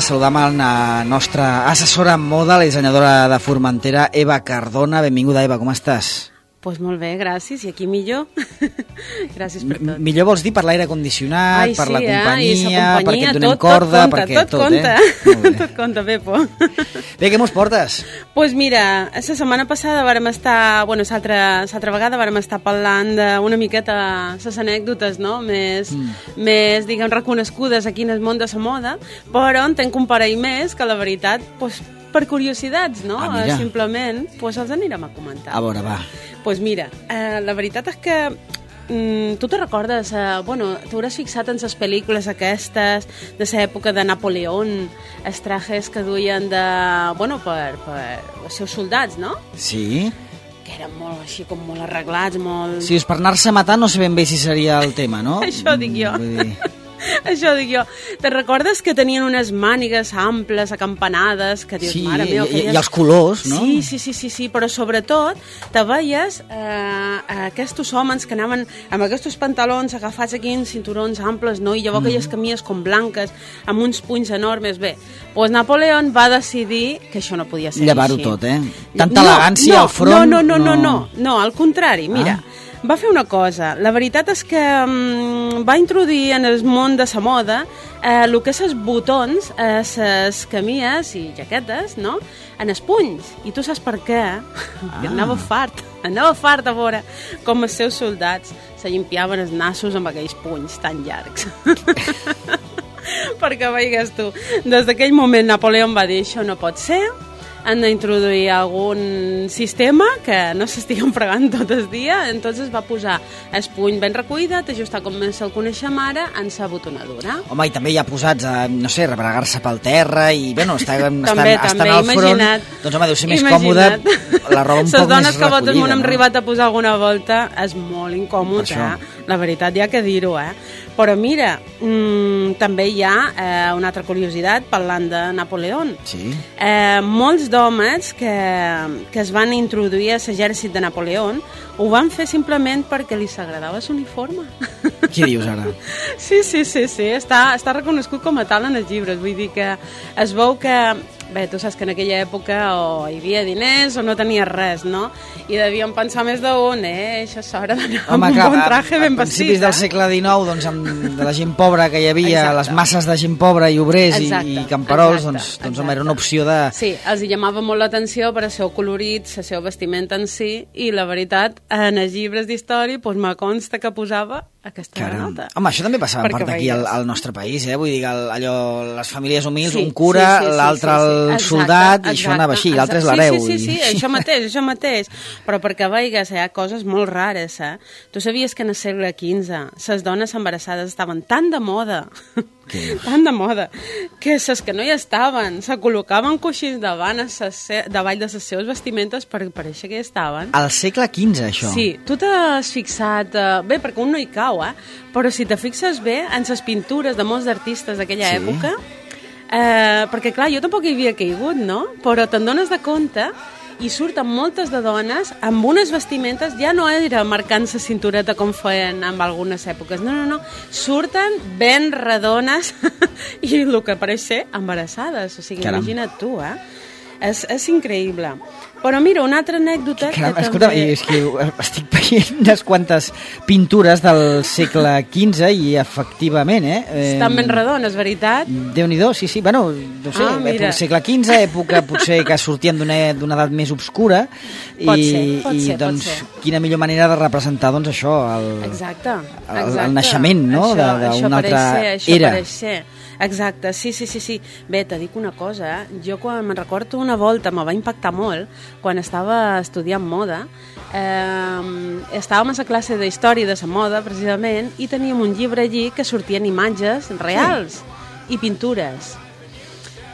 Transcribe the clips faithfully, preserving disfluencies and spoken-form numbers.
saludar amb la nostra assessora en moda, la dissenyadora de Formentera, Eva Cardona. Benvinguda, Eva, com estàs? Doncs pues molt bé, gràcies, i aquí millor. Gràcies per tot. Millor vols dir per l'aire condicionat, Ai, per sí, la companyia, eh? companyia, perquè et donem tot, corda, tot compta, perquè tot, tot, compta. eh? Tot compta, Pepo. Bé, què mos portes? Doncs pues mira, la setmana passada vàrem estar, bueno, l'altra vegada vàrem estar parlant d'una miqueta les anècdotes, no?, més, mm. més, diguem, reconegudes aquí en el món de la moda, però en tenc un parell més que la veritat, doncs, per curiositats, no? Ah, mira. Simplement, doncs els anirem a comentar. A veure, va. Doncs pues mira, eh, la veritat és que mm, tu te recordes, eh, bueno, t'hauràs fixat en les pel·lícules aquestes de l'època de Napoleón, els trajes que duien de, bueno, per, per els seus soldats, no? Sí. Que eren molt així, com molt arreglats, molt... Si és per anar-se a matar, no sé ben bé si seria el tema, no? Això dic jo. Vull dir... Això dic jo. Te recordes que tenien unes mànigues amples, acampanades, que dius, sí, mare meva... I, aquelles... i els colors, no? Sí, sí, sí, sí, sí, però sobretot te veies eh, aquests homes que anaven amb aquests pantalons agafats aquí en cinturons amples, no? I llavors mm. aquelles camies com blanques, amb uns punys enormes. Bé, doncs Napoleón va decidir que això no podia ser Llevar-ho així. tot, eh? Tanta no, elegància no, al front... No, no, no, no, no, no, no, al contrari, mira... Ah. Va fer una cosa. La veritat és que um, va introduir en el món de la moda eh, el que és els botons, eh, les camies i jaquetes, no?, en els punys. I tu saps per què? Ah. Anava fart. Anava fart a veure com els seus soldats se llimpiaven els nassos amb aquells punys tan llargs. Perquè veigues tu, des d'aquell moment Napoleón va dir, això no pot ser, han d'introduir algun sistema que no s'estiguen fregant tot el dia, entonces va posar el puny ben recuidat, ajustar com se'l coneixem ara, en sa botonadura. Home, i també hi ha posats a, no sé, rebregar-se pel terra i, bueno, estar, també, estar, també, estar al front, imagina't, doncs, home, deu ser més imagina't. còmode, la roba un Ses poc dones més que votes recollida, m'ho hem no? arribat a posar alguna volta, és molt incòmode, eh? La veritat, hi ha que dir-ho, eh? Però mira, mmm, també hi ha eh, una altra curiositat parlant de Napoleón. Sí. Eh, molts d'homes que, que es van introduir a l'exèrcit de Napoleón ho van fer simplement perquè li s'agradava l'uniforme. Què dius ara? Sí, sí, sí, sí. Està, està reconegut com a tal en els llibres. Vull dir que es veu que... Bé, tu saps que en aquella època o hi havia diners o no tenia res, no? I devien pensar més d'un, eh? Això és hora d'anar amb un bon traje ben vestit. A principis del segle dinou, doncs, amb de la gent pobra que hi havia, exacte, les masses de gent pobra i obrers exacte, i, i camperols, exacte, doncs, doncs home, era una opció de... Sí, els hi llamava molt l'atenció per al seu colorit, la seva vestimenta en si, i la veritat, en els llibres d'història, doncs me consta que posava aquesta Caram. nota. Home, això també passava en part aquí al, al nostre país, eh? Vull dir, allò, les famílies humils, sí, un cura, sí, sí, sí, l'altre sí, sí, sí. el soldat, exacte, i això anava així, l'altre és l'hereu. Sí, sí, sí, i... sí, això mateix, això mateix. Però perquè veigues, hi ha coses molt rares, eh? Tu sabies que en el segle quinze les dones embarassades estaven tan de moda, que... tan de moda, que les que no hi estaven se col·locaven coixins davant, davall de les seves vestimentes per parèixer que hi estaven. Al segle quinze, això? Sí, tu t'has fixat... Eh, bé, perquè un no hi cau, eh? Però si te fixes bé en les pintures de molts artistes d'aquella sí. època, eh, perquè clar, jo tampoc hi havia caigut, no? Però te'n dones de compte i surten moltes de dones amb unes vestimentes, ja no era marcant la cintureta com feien en algunes èpoques, no, no, no, surten ben redones i el que pareix ser embarassades, o sigui, Caram. Imagina't tu, eh? És, és increïble. Però mira, una altra anècdota... Caram, que escolta, també... és que estic veient unes quantes pintures del segle quinze i efectivament, eh? Estan ben redones, veritat? Déu-n'hi-do, sí, sí. Bueno, no sé, ah, època, segle quinze, època potser que sortien d'una edat més obscura i, pot ser, pot i ser, doncs pot ser. Quina millor manera de representar doncs això, el, exacte, exacte. el, el naixement, no?, d'una altra ser, això era. Això ser. Exacte, sí, sí, sí, sí. Bé, te dic una cosa, eh? Jo quan me'n recordo una volta, me va impactar molt, quan estava estudiant moda, eh, estàvem a la classe d'història de la moda, precisament, i teníem un llibre allí que sortien imatges reals sí. i pintures.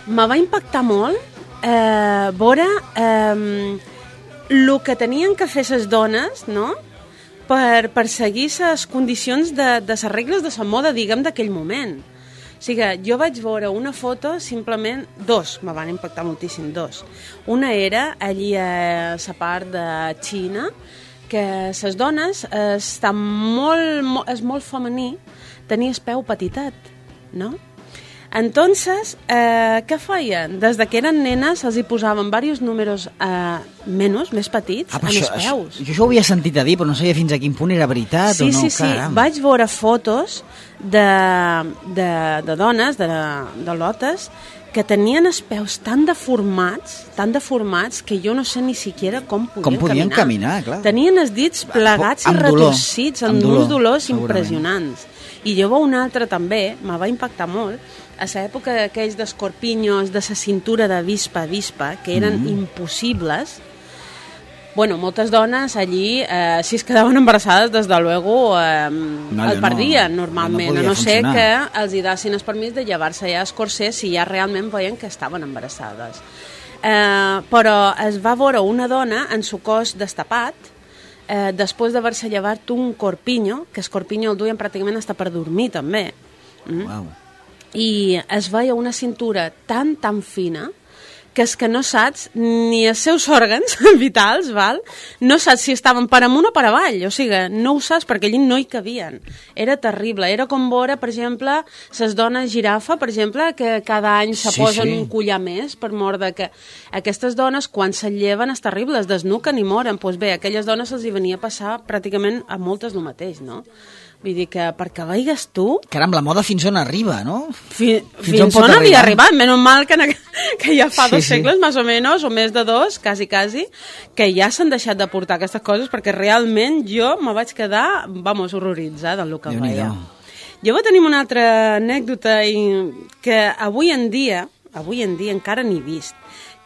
Me va impactar molt eh, veure eh, el que tenien que fer les dones, no?, per perseguir les condicions de, de les regles de la moda, diguem, d'aquell moment. O sigui, jo vaig veure una foto, simplement, dos, me van impactar moltíssim, dos. Una era allí a la part de Xina, que les dones estan molt, molt, és molt femení, tenir el peu petitet, no? Entonces, eh, què feien? Des de que eren nenes els hi posaven diversos números eh, menys, més petits, ah, en això, els peus. Això, jo això ho havia sentit a dir, però no sabia fins a quin punt era veritat sí, o no. Sí, sí, Caram. sí. Vaig veure fotos de, de, de dones, de, de lotes, que tenien els peus tan deformats, tan deformats, que jo no sé ni siquiera com podien, com podien caminar. caminar clar. Tenien els dits plegats amb i retorcits, amb, amb uns dolors impressionants. I jo veig un altre també, me va impactar molt, a l'època d'aquells d'escorpinyos, de la cintura de vispa a vispa, que eren mm. impossibles. Bueno, moltes dones allí, eh, si es quedaven embarassades, des de luego, eh, no, el perdien no, normalment, no a no ser que els hi dassin el permís de llevar-se ja escorcer si ja realment veien que estaven embarassades. Eh, però es va veure una dona en su cos destapat, eh, després d'haver-se llevat un corpinyo, que el corpinyo el duien pràcticament hasta per dormir també. Mm? Wow. I es veia una cintura tan, tan fina que és que no saps ni els seus òrgans vitals, val? No saps si estaven per amunt o per avall, o sigui, no ho saps perquè allí no hi cabien. Era terrible, era com veure, per exemple, les dones girafa, per exemple, que cada any se sí, posen sí. un collar més per mort de que aquestes dones, quan se lleven, és terrible, es desnuquen i moren. Doncs bé, a aquelles dones els hi venia a passar pràcticament a moltes el mateix, no? Vull dir que perquè veigues tu... Caram, la moda fins on arriba, no? Fi, fins, fins on, on havia arribat. Menys mal que, que ja fa sí, dos segles, sí. més o menys, o més de dos, quasi, quasi, que ja s'han deixat de portar aquestes coses, perquè realment jo me vaig quedar, vamos, horroritzada del que veia. Jo vaig tenir una altra anècdota i que avui en dia, avui en dia encara n'he vist,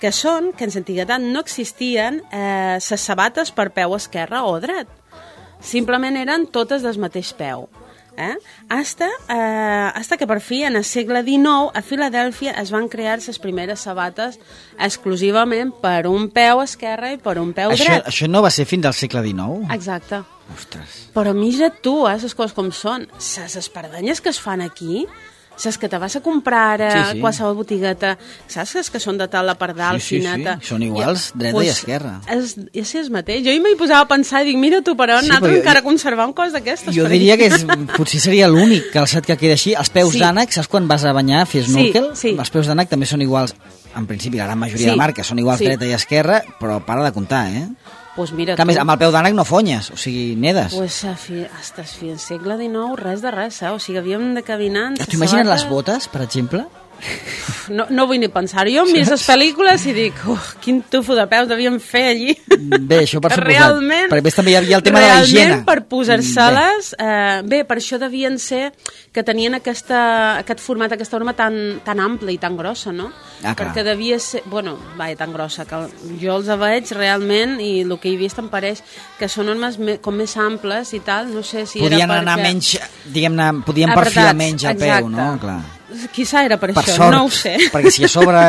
que són que en l'antiguitat no existien eh, les sabates per peu esquerre o dret. Simplement eren totes del mateix peu. Eh? Hasta, eh, hasta que per fi, en el segle dinou, a Filadèlfia es van crear les primeres sabates exclusivament per un peu esquerre i per un peu això, dret. Això no va ser fins al segle dinou? Exacte. Ostres. Però mira tu, eh, les coses com són. Les espardenyes que es fan aquí... Saps que te vas a comprar a sí, sí. qualsevol botigueta, saps que són de tal la pardal, sí, sí, fineta? Sí, són iguals, I, dreta pues, i esquerra. És, és, és mateix. Jo m'hi posava a pensar i dic, mira tu, però sí, nosaltres encara jo, conservar un cos d'aquestes. Jo diria que és, potser seria l'únic calçat que queda així. Els peus sí. d'ànec, saps quan vas a banyar, fer snorkel? Sí, sí. Els peus d'ànec també són iguals, en principi, la gran majoria sí. de marques són iguals sí. dreta i esquerra, però para de comptar, eh? Pues mira que a més, amb el peu d'ànec no fonyes, o sigui, nedes. Pues a fi, hasta el segle dinou, res de res, eh? O sigui, havíem de caminar... T'ho imagines les botes, per exemple? No, no vull ni pensar-ho. Jo em miro les pel·lícules i dic, oh, quin tufo de peus devien fer allí. Bé, això per suposat. Realment, perquè a més també hi havia el tema de la higiene. Realment, per posar-se-les... Eh, bé, per això devien ser que tenien aquesta, aquest format, aquesta forma tan, tan ampla i tan grossa, no? Ah, perquè devia ser... Bueno, vaja, tan grossa, que jo els veig realment i el que he vist em pareix que són normes me, com més amples i tal, no sé si podien era perquè... anar menys, diguem-ne, podien apretats, perfilar menys el exacte. peu, no? Clar. Quizà era per, per això, sort, no ho sé. Perquè si a sobre...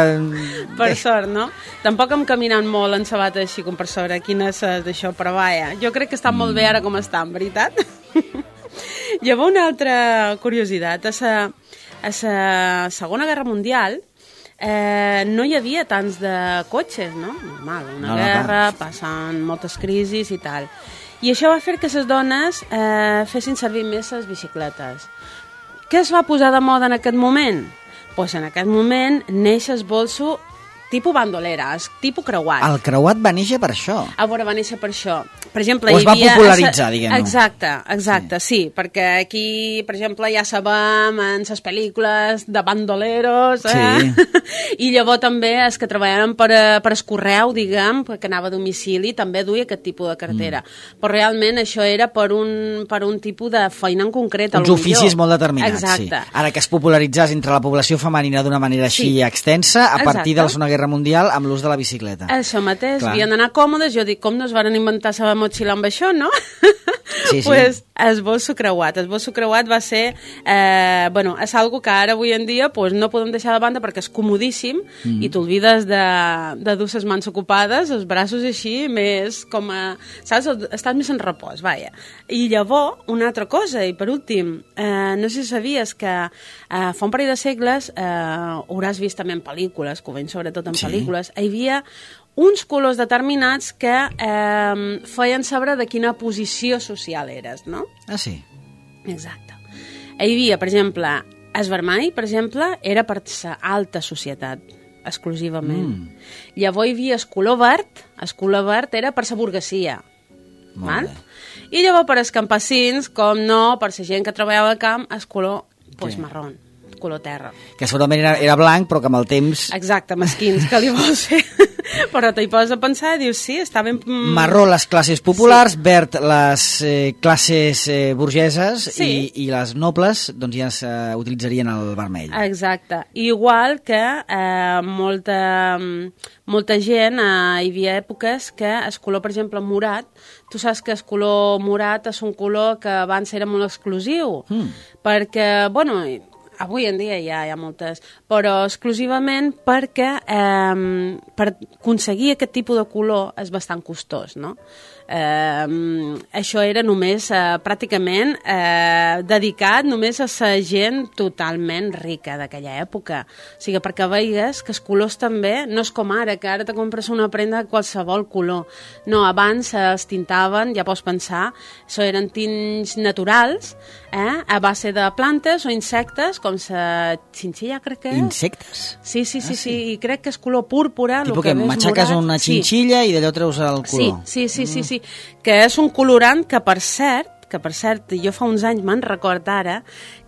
per sort, no? Tampoc hem caminat molt en sabates així com per sobre quines d'això, però vaja, jo crec que estan mm. molt bé ara com estan, veritat? Hi havia una altra curiositat. A la, a la Segona Guerra Mundial eh, no hi havia tants de cotxes, no? Normal, una no, guerra, no, passen moltes crisis i tal. I això va fer que les dones eh, fessin servir més les bicicletes. Què es va posar de moda en aquest moment? Doncs pues en aquest moment neix el bolso tipus bandolera, tipus creuat. El creuat va néixer per això? A veure, va néixer per això. Per exemple, o es hi havia... va popularitzar, diguem-ne. Exacte, exacte, sí. sí, perquè aquí, per exemple, ja sabem en les pel·lícules de bandoleros, eh? Sí. I llavors també els que treballaven per, per el correu, diguem, que anava a domicili, també duia aquest tipus de cartera. Mm. Però realment això era per un, per un tipus de feina en concret. Uns oficis molt determinats, exacte. Sí. Ara que es popularitzés entre la població femenina d'una manera així sí. extensa, a partir exacte. de la Segona Guerra Mundial, amb l'ús de la bicicleta. Això mateix, Clar. havien d'anar còmodes, jo dic, com no es van inventar la motxilla amb això, no? Sí, sí. Pues el bolso creuat. El bolso creuat va ser... Eh, bueno, és algo que ara, avui en dia, pues, no podem deixar de banda perquè és comodíssim mm. i t'olvides de, de dur les mans ocupades, els braços així, més com a... Saps? Estàs més en repòs, vaja. I llavors, una altra cosa, i per últim, eh, no sé si sabies que eh, fa un parell de segles, eh, hauràs vist també en pel·lícules, que ho veiem sobretot en sí. pel·lícules, hi havia uns colors determinats que eh, feien saber de quina posició social eres, no? Ah, sí? Exacte. Hi havia, per exemple, El vermell, per exemple, era per la alta societat, exclusivament. Mm. Llavors hi havia el color verd, el color verd era per la burguesia. Val? I llavors per als campesins, com no, per la gent que treballava al camp, el color pues, marró, color terra. Que segurament era, era blanc, però que amb el temps... Exacte, mesquins, que li vols fer? Però t'hi poses a pensar i dius, sí, està ben... Marró les classes populars, sí. Verd les eh, classes eh, burgeses, sí. i, i les nobles doncs ja s'utilitzarien el vermell. Exacte. Igual que eh, molta, molta gent, eh, hi havia èpoques que el color, per exemple, morat, tu saps que el color morat és un color que abans era molt exclusiu, mm. perquè, bueno... Avui en dia ja hi ha moltes, però exclusivament perquè eh, per aconseguir aquest tipus de color és bastant costós, no? Eh, això era només eh, pràcticament eh, dedicat només a la gent totalment rica d'aquella època. O sigui, perquè veies que els colors també no és com ara, que ara te compres una prenda de qualsevol color. No, abans es tintaven, ja pots pensar, això eren tints naturals, eh, a base de plantes o insectes, com la xinxilla, crec que és. Insectes? Sí, sí, sí, ah, sí. sí, i crec que és color púrpura. Tipo que, que matxaques morat, una xinxilla sí. I d'allò treus el color. Sí, sí, sí, sí, mm. sí, que és un colorant que, per cert, que per cert, jo fa uns anys me'n record ara,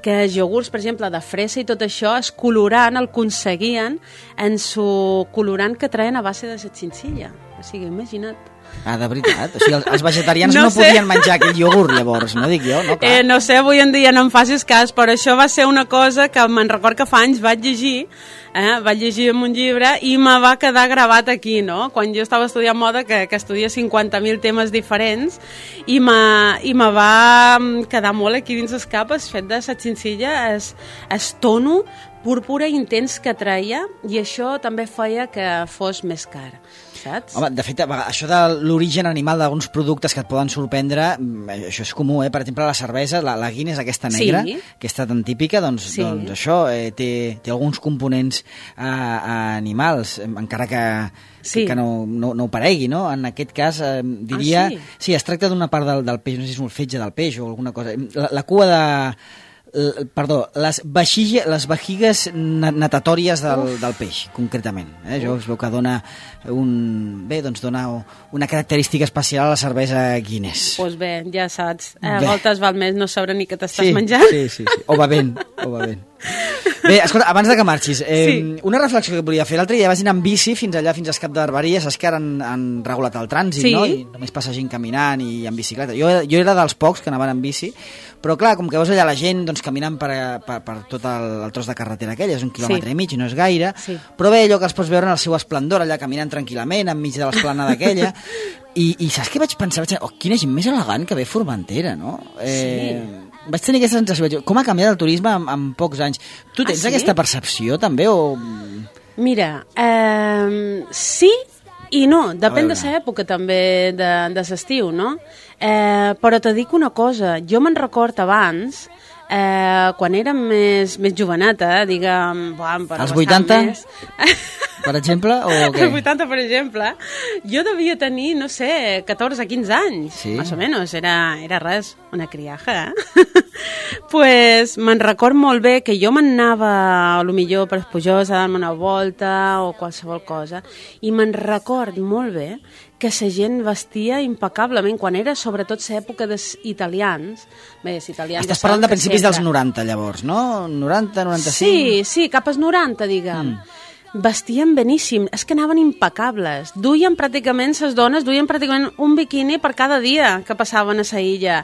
que els iogurts, per exemple, de fresa i tot això, es colorant, el aconseguien en su colorant que traien a base de la xinxilla. O sigui, imagina't. Ah, de veritat? O sigui, els, els vegetarians no, no podien menjar aquell iogurt, llavors, no dic jo? No, eh, no sé, avui en dia no em facis cas, però això va ser una cosa que me'n record que fa anys vaig llegir, eh, vaig llegir en un llibre i me va quedar gravat aquí, no? Quan jo estava estudiant moda, que, que estudia cinquanta mil temes diferents, i me, i me va quedar molt aquí dins el cap el fet de la xinxilla, es, es tono púrpura intens que traia, i això també feia que fos més car, saps? Home, de fet, això de l'origen animal d'alguns productes que et poden sorprendre, això és comú, eh? Per exemple, la cervesa, la, la Guinness aquesta negra, sí. aquesta tan típica, doncs, sí. doncs això eh, té, té alguns components eh, animals, encara que, sí. que, que no, no, no ho paregui, no? En aquest cas, eh, diria... Ah, sí? Sí, es tracta d'una part del, del peix, no sé si és un fetge del peix o alguna cosa. La, la cua de... Perdó, les, vexige, les vehigues natatòries del, del peix, concretament. Eh? Jo es veu que dona, un, bé, doncs dona una característica especial a la cervesa Guinness. Doncs pues bé, ja saps. A voltes val més no saber ni què t'estàs sí, menjant. Sí, sí, sí. O bevent, o bevent. Bé, escolta, abans de que marxis, eh, sí. una reflexió que volia fer. L'altre dia vaig anar amb bici fins allà, fins al Cap de Barberia. Saps que ara han, han regulat el trànsit, sí. no? I només passa gent caminant i en bicicleta. Jo, jo era dels pocs que anaven en bici, però clar, com que veus allà la gent doncs, caminant per, per, per tot el, el tros de carretera aquell, és un quilòmetre sí. i mig, no és gaire, sí. però bé, allò que els pots veure en el seu esplendor, allà caminant tranquil·lament enmig de l'esplanada aquella, i, i saps què vaig pensar? Vaig dir, oh, quina gent més elegant que ve Formentera, no? Eh, sí. Vaig tenir aquesta sensació, com ha canviat el turisme en, en pocs anys. Tu tens ah, sí? aquesta percepció també o...? Mira, eh, sí i no, depèn de l'època també de, de l'estiu, no? Eh, però te dic una cosa, jo me'n record abans, eh, quan érem més, més joveneta, diguem... Buah, als vuitanta? Més... Per exemple, o què? Als vuitanta, per exemple, jo devia tenir, no sé, catorze a quinze anys, sí. més o menys, era, era res, una criaja, eh? Pues me'n record molt bé que jo m'anava, a lo millor per Espujós, a dar-me una volta o qualsevol cosa, i me'n record molt bé que la gent vestia impecablement, quan era sobretot l'època dels italians. Bé, els italians... Estàs parlant de principis sempre... dels noranta, llavors, no? noranta, noranta-cinc... Sí, sí, cap als noranta, diguem. Mm. Vestien beníssim, és que anaven impecables. Duien pràcticament, les dones duien pràcticament un biquini per cada dia que passaven a la illa.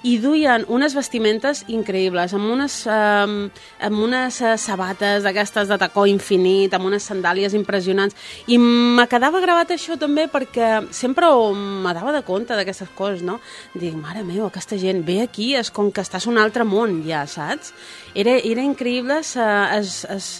I duien unes vestimentes increïbles, amb unes, eh, amb unes sabates d'aquestes de tacó infinit, amb unes sandàlies impressionants. I me quedava gravat això també perquè sempre me dava de compte d'aquestes coses, no? Dic, mare meva, aquesta gent ve aquí, és com que estàs un altre món, ja, saps? Era, era increïble, es, es, es,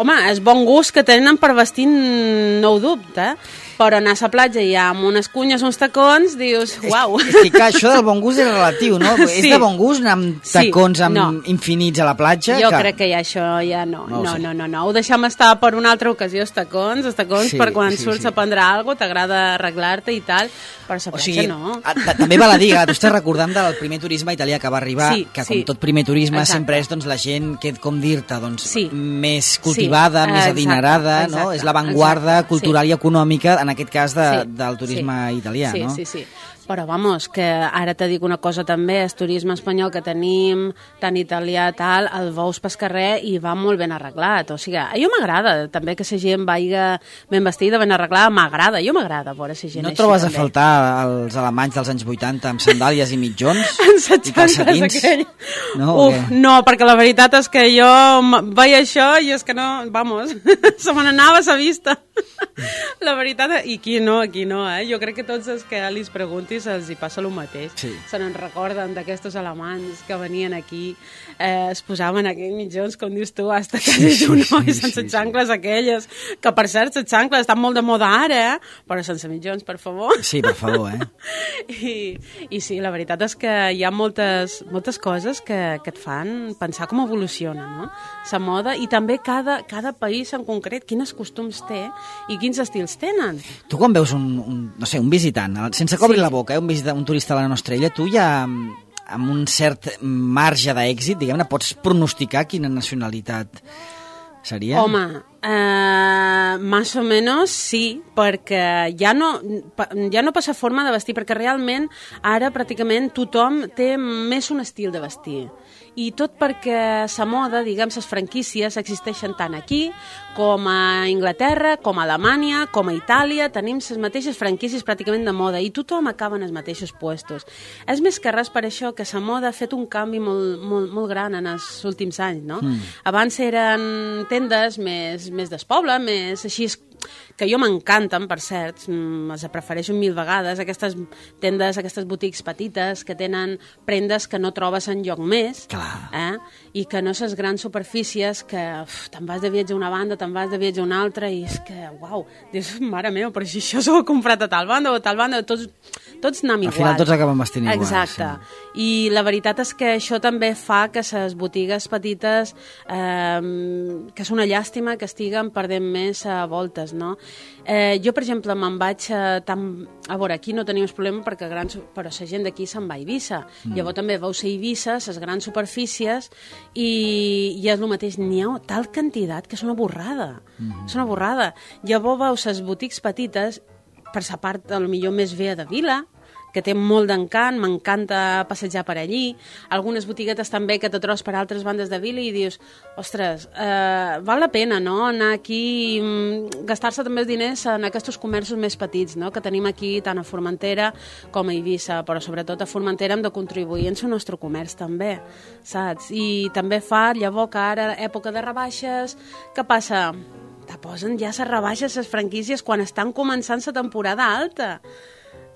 home, és bon gust que tenen per vestir, no ho dubte. però anar a la platja i amb unes cunyes, uns tacons, dius, uau. És, és que clar, això del bon gust és relatiu, no? Sí. És de bon gust anar amb tacons sí, amb no. infinits a la platja? Jo que... crec que ja això ja no. No, no, no, no, no. Ho deixem estar per una altra ocasió, els tacons, els tacons sí, per quan sí, surts sí. a prendre alguna cosa, t'agrada arreglar-te i tal, però a la platja o sigui, no. A, també val a dir, tu estàs recordant del primer turisme italià que va arribar, sí, que com sí. tot primer turisme exacte. sempre és doncs, la gent que, com dir-te, doncs, sí. més cultivada, sí. més exacte, adinerada, exacte, no? És l'avantguarda cultural sí. i econòmica, en aquest cas, de, sí. del turisme sí. italià, sí, no? Sí, sí, sí. Però, vamos, que ara te dic una cosa també, el turisme espanyol que tenim, tan italià, tal, el veus pel carrer i va molt ben arreglat. O sigui, a jo m'agrada també que la gent vaiga ben vestida, ben arreglada, m'agrada, jo m'agrada veure la gent no així. No trobes també. a faltar els alemanys dels anys vuitanta amb sandàlies i mitjons? I calcetins? Aquell... No, Uf, no, perquè la veritat és que jo veia això i és que no, vamos, se me n'anava a la vista. La veritat, i aquí no, aquí no, eh? Jo crec que tots els que li preguntis els hi passa el mateix. Sí. Se n'en recorden d'aquestos alemanys que venien aquí, eh, es posaven aquells mitjons, com dius tu, hasta que sí, un noi sí, sense sí, xancles sí. aquelles, que per cert, les xancles estan molt de moda ara, eh? Però sense mitjons, per favor. Sí, per favor, eh? I, i sí, la veritat és que hi ha moltes, moltes coses que, que et fan pensar com evoluciona, no? La moda, i també cada, cada país en concret, quins costums té i quins estils tenen. Tu quan veus un, un no sé, un visitant, sense que obri sí. la boca, eh, un visitant, un turista a la nostra illa, tu ja amb un cert marge d'èxit, diguem-ne, pots pronosticar quina nacionalitat seria? Home, eh, más o menos sí, perquè ja no, ja no passa forma de vestir, perquè realment ara pràcticament tothom té més un estil de vestir. I tot perquè la moda, diguem, les franquícies existeixen tant aquí com a Anglaterra, com a Alemanya, com a Itàlia, tenim les mateixes franquícies pràcticament de moda i tothom acaba en els mateixos puestos. És més que res per això que la moda ha fet un canvi molt, molt, molt gran en els últims anys, no? Mm. Abans eren tendes més, més despoble, més així, que jo m'encanten, per cert, les prefereixo mil vegades, aquestes tendes, aquestes botics petites que tenen prendes que no trobes en lloc més, eh? I que no ses grans superfícies que uf, te'n vas de viatge a una banda, te'n vas de viatge a una altra i és que, uau, dius, mare meva, però si això s'ho he comprat a tal banda o a tal banda, tots, tots anem igual. Al final tots acaben vestint igual. Exacte. Sí. I la veritat és que això també fa que les botigues petites, eh, que és una llàstima que estiguen perdent més a voltes, no? Eh, jo, per exemple, me'n vaig a, tan... a veure, aquí no tenim problema perquè grans... però la gent d'aquí se'n va a Eivissa. Mm. Llavors també vau ser a Eivissa, les grans superfícies, i, i és el mateix, n'hi ha tal quantitat que és una borrada. Mm. És una borrada. Llavors veus les botics petites, per sa part, potser més vea de vila, que té molt d'encant, m'encanta passejar per allí, algunes botiguetes també que te trobes per altres bandes de vila i dius, ostres, eh, val la pena, no?, anar aquí, gastar-se també els diners en aquests comerços més petits, no?, que tenim aquí tant a Formentera com a Eivissa, però sobretot a Formentera hem de contribuir en el nostre comerç també, saps? I també fa, llavors, que ara, època de rebaixes, què passa? Te posen ja les rebaixes, les franquícies, quan estan començant la temporada alta.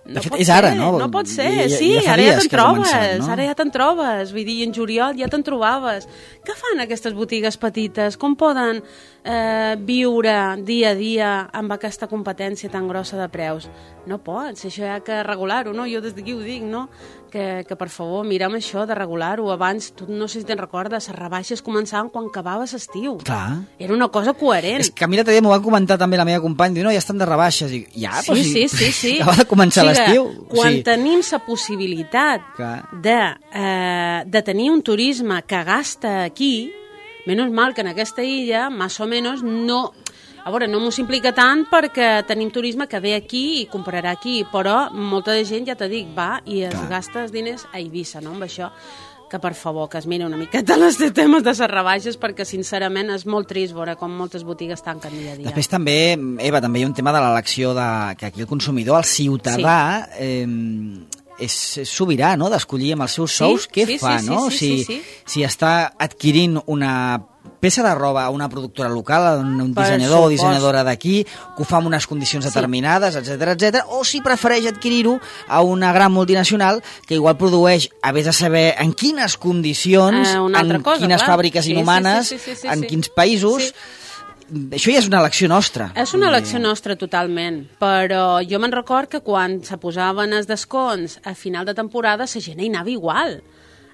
No de fet, és ara, ser, no? No pot ser, ja, ja, sí, ja ara ja te'n trobes, començat, no? ara ja te'n trobes, vull dir, en juliol ja te'n trobaves. Què fan aquestes botigues petites? Com poden eh, viure dia a dia amb aquesta competència tan grossa de preus? No pots, això hi ha que regular-ho, no? Jo des d'aquí ho dic, no? Que, que per favor, mirem això de regular-ho. Abans, tu no sé si te'n recordes, les rebaixes començaven quan acabava l'estiu. Clar. Era una cosa coherent. És que a mi l'altre dia m'ho va comentar també la meva companya, diu, no, ja estan de rebaixes. I, ja, sí, però sí, sí, sí. acaba de començar o sigui, l'estiu. Quan sí. tenim la possibilitat de, eh, de tenir un turisme que gasta aquí, menys mal que en aquesta illa, més o menys, no... A veure, no m'ho implica tant perquè tenim turisme que ve aquí i comprarà aquí, però molta de gent, ja t'ho dic, va i es Clar. gasta els diners a Eivissa, no?, amb això. Que, per favor, que es miri una miqueta els temes de les rebaixes, perquè, sincerament, és molt trist veure com moltes botigues tanquen dia a dia. Després també, Eva, també hi ha un tema de l'elecció de... que aquí el consumidor, el ciutadà... Sí. Eh, és sobirà, no?, d'escollir amb els seus sous sí, què sí, fa, sí, no? Sí, sí, si, sí, sí. si està adquirint una peça de roba a una productora local, un dissenyador o dissenyadora d'aquí, que ho fa en unes condicions sí. determinades, etcètera, etcètera, o si prefereix adquirir-ho a una gran multinacional que igual produeix, a vés de saber en quines condicions, eh, en cosa, quines clar. fàbriques sí, inhumanes, sí, sí, sí, sí, sí, en sí. quins països... Sí. això ja és una elecció nostra. És una elecció nostra, totalment. Però jo me'n record que quan se posaven els desconts a final de temporada, la gent hi anava igual.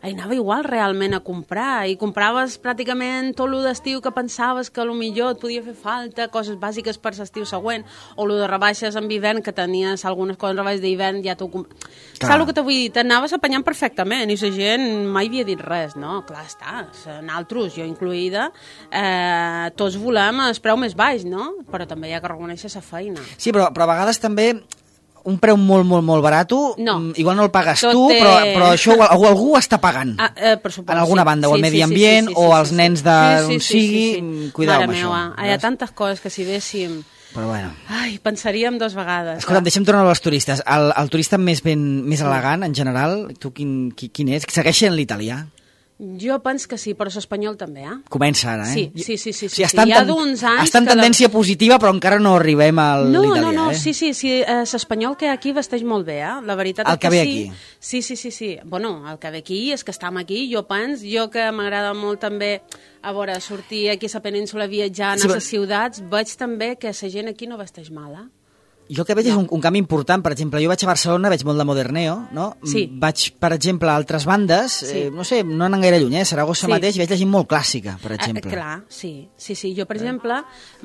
Hi anava igual realment a comprar, i compraves pràcticament tot el d'estiu que pensaves que potser et podia fer falta, coses bàsiques per l'estiu següent, o el de rebaixes en hivern, que tenies algunes coses rebaixes d'hivern, ja t'ho... Saps el que t'ho vull dir? T'anaves apanyant perfectament, i la gent mai havia dit res, no? Clar, està, nosaltres, jo incluïda, eh, tots volem el preu més baix, no? Però també hi ha que reconèixer la feina. Sí, però, però a vegades també... un preu molt, molt, molt barat, no. igual no el pagues Tot tu, té... però, però això algú, algú està pagant. Ah, eh, per suposo, en alguna sí. banda, sí, o el sí, medi sí, ambient, sí, sí, sí, o els sí, nens sí. d'on sí, sí, sigui, sí, sí, sí. cuidao Mare amb meua, això. hi ha tantes coses que si véssim... Però bueno. Ai, pensaríem dos vegades. Escolta'm, deixa'm tornar als turistes. El, el turista més, ben, més elegant, en general, tu quin, qui, quin és? Segueixen l'italià? Jo penso que sí, però l'espanyol també, eh? Comença ara, eh? Sí, sí, sí. sí, o sigui, sí. Hi ha d'uns anys... Està en tendència la... positiva, però encara no arribem a l'italià, no, no, no, eh? sí, sí, sí. Eh, l'espanyol que hi ha aquí vesteix molt bé, eh? La veritat el és que, que ve sí. aquí. Sí, sí, sí, sí. Bueno, el que ve aquí és que estem aquí, jo penso, jo que m'agrada molt també, a veure, sortir aquí a la península viatjant sí, a les però... ciutats, veig també que la gent aquí no vesteix mal, eh? Jo el que veig no. és un, un canvi important. Per exemple, jo vaig a Barcelona, veig molt de Moderneo, no? Sí. Vaig, per exemple, a altres bandes, sí. eh, no sé, no anen gaire lluny, eh? Saragossa sí. mateix, veig la gent molt clàssica, per exemple. Eh, clar, sí, sí, sí. Jo, per eh. exemple,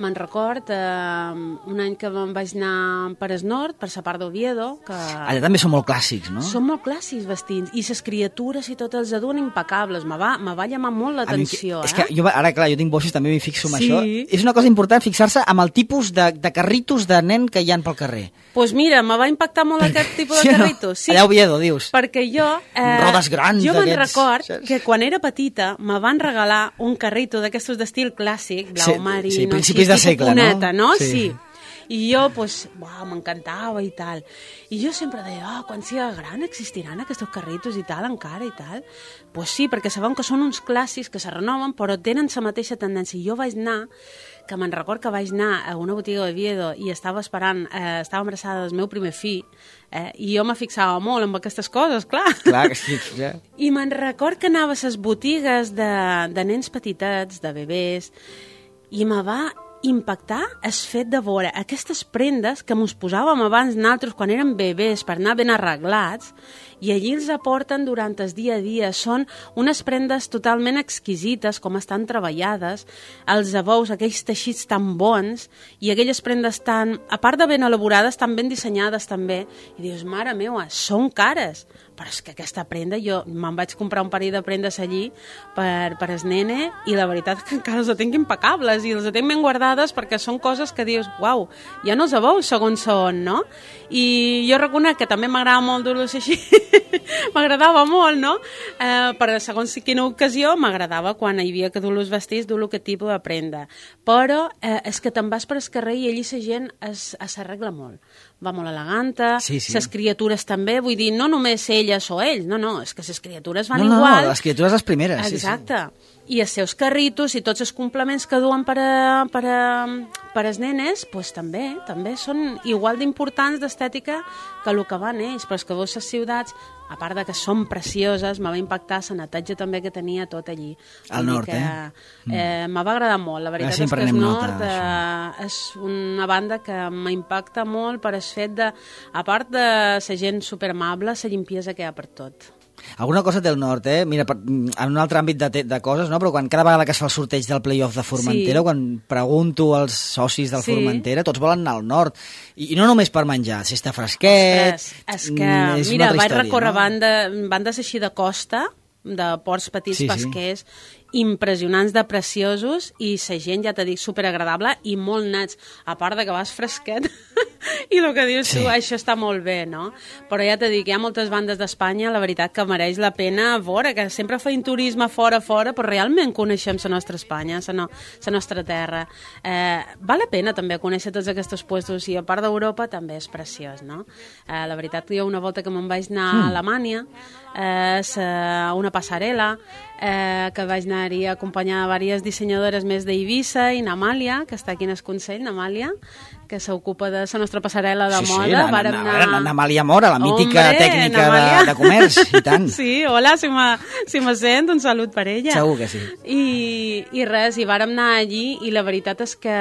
me'n record eh, un any que me'n vaig anar per el nord, per la part d'Oviedo, que... Allà també són molt clàssics, no? Són molt clàssics vestits, i les criatures i tot els aduen impecables. Me va, me va llamar molt l'atenció, eh? És que jo, ara, clar, jo tinc bossos, també m'hi fixo en sí. això. És una cosa important fixar-se amb el tipus de, de carritos de nen que hi ha pel carrer. Doncs pues mira, me va impactar molt perquè, aquest tipus sí, de carritos. No? Sí, allà a Oviedo, dius. Perquè jo... Eh, Rodes grans jo me'n d'aquests. record que quan era petita me van regalar un carrito d'aquestos d'estil clàssic, blau sí, marí, sí, no, principis de segle, puneta, no? Sí. sí. I jo, pues, uau, m'encantava i tal. I jo sempre deia, oh, quan siga gran existiran aquests carritos i tal, encara i tal. Pues sí, perquè sabem que són uns clàssics que se renoven, però tenen la mateixa tendència. I jo vaig anar, que me'n record que vaig anar a una botiga d'Oviedo i estava esperant, eh, estava embarassada del meu primer fill, eh, i jo me fixava molt en aquestes coses, clar. Clar que sí, ja. I me'n record que anava a les botigues de, de nens petitets, de bebès, i me va impactar el fet de veure aquestes prendes que mos posàvem abans nosaltres quan érem bebès per anar ben arreglats, i allí els aporten durant el dia a dia. Són unes prendes totalment exquisites, com estan treballades, els abous, aquells teixits tan bons, i aquelles prendes tan, a part de ben elaborades, tan ben dissenyades també, i dius, mare meva, són cares, però és que aquesta prenda, jo me'n vaig comprar un parell de prendes allí per, per el nene, i la veritat és que encara els tinc impecables, i els tinc ben guardades perquè són coses que dius, uau, ja no els abous segons són, no? I jo reconec que també m'agrada molt dur-los així, m'agradava molt, no? Eh, per segons quina ocasió m'agradava quan hi havia que dur-los vestits, dur-lo aquest tipus de prenda. Però eh, és que te'n vas per el carrer i allí la gent s'arregla molt. Va molt eleganta, sí, sí. Les criatures també, vull dir, no només elles o ells, no, no, és que les criatures van no, no, igual. No, les criatures les primeres. Exacte. Sí, sí. I els seus carritos i tots els complements que duen per a, per a, per als nenes, pues, també, també són igual d'importants d'estètica que el que van ells, però és que veus les ciutats, a part de que són precioses, me va impactar la neteja també que tenia tot allí. Al nord, que, eh? eh me va agradar molt, la veritat ja és que el nord nota, eh, és una banda que m'impacta molt per el fet de, a part de la gent superamable, la llimpiesa que hi ha per tot. Alguna cosa del nord, eh? Mira, per, en un altre àmbit de, de coses, no? Però quan cada vegada que es fa el sorteig del play-off de Formentera, sí. Quan pregunto als socis del sí. Formentera, tots volen anar al nord. I, i no només per menjar, si està fresquet... Ostres, és que, és mira, vaig història, recórrer no? banda, bandes així de costa, de ports petits sí, pesquers, sí. impressionants de preciosos, i la gent, ja t'he dit, superagradable i molt nats, a part de que vas fresquet i el que dius sí. tu, això està molt bé, no? Però ja t'he dit, hi ha moltes bandes d'Espanya, la veritat que mereix la pena veure, que sempre feim turisme fora, fora, però realment coneixem la nostra Espanya, la no, nostra terra. Eh, val la pena també conèixer tots aquests puestos, i a part d'Europa també és preciós, no? Eh, la veritat, jo una volta que me'n vaig anar mm. a Alemanya, eh, una passarel·la, eh, que vaig anar-hi a acompanyar diverses dissenyadores més d'Eivissa i n'Amàlia, que està aquí en el Consell, n'Amàlia, que s'ocupa de la nostra passarel·la de sí, moda. Sí, Vàrem anar... n'Amàlia Mora, la mítica Hombre, tècnica de, de comerç, i tant. Sí, hola, si me, si me sent, un salut per ella. Segur que sí. I, i res, i vàrem anar allí i la veritat és que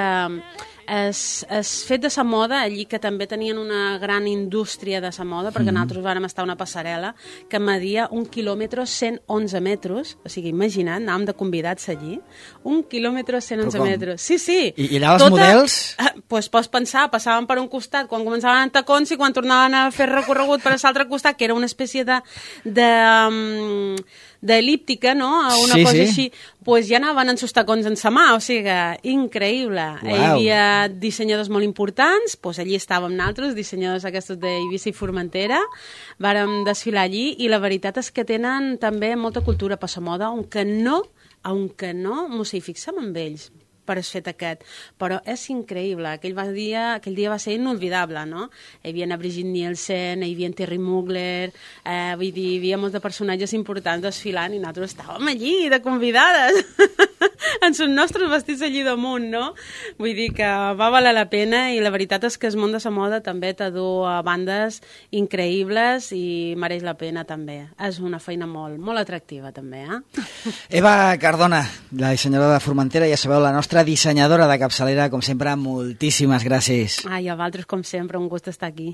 es, es fet de la moda, allí que també tenien una gran indústria de la moda, perquè mm. nosaltres vàrem estar a una passarel·la que media un quilòmetre cent onze metres, o sigui, imagina't, anàvem de convidats allí, un quilòmetre cent onze metres. Sí, sí. I, i allà els Tota, models? Doncs pues, pots pensar, passaven per un costat quan començaven en tacons i quan tornaven a fer recorregut per l'altre costat, que era una espècie de... de um, d'elíptica, no? Una sí, cosa sí. així, pues ja anaven en sus tacons en sa mà, o sigui, increïble. Wow. Hi havia dissenyadors molt importants, pues allí estàvem nosaltres, dissenyadors aquests d'Eivissa i Formentera, vàrem desfilar allí i la veritat és que tenen també molta cultura per la moda, aunque no, aunque no mos hi fixem amb ells per el fet aquest, però és increïble, aquell dia, aquell dia va ser inolvidable, no? Hi havia a Brigitte Nielsen, hi havia Terry Mugler, eh, vull dir, hi havia molts de personatges importants desfilant i nosaltres estàvem allí, de convidades, en els nostres vestits allí damunt, no? Vull dir que va valer la pena i la veritat és que el món de la moda també t'adú a bandes increïbles i mereix la pena també. És una feina molt, molt atractiva també, eh? Eva Cardona, la dissenyadora de Formentera, ja sabeu, la nostra dissenyadora de capçalera, com sempre, moltíssimes gràcies. Ai, a vosaltres, com sempre, un gust estar aquí.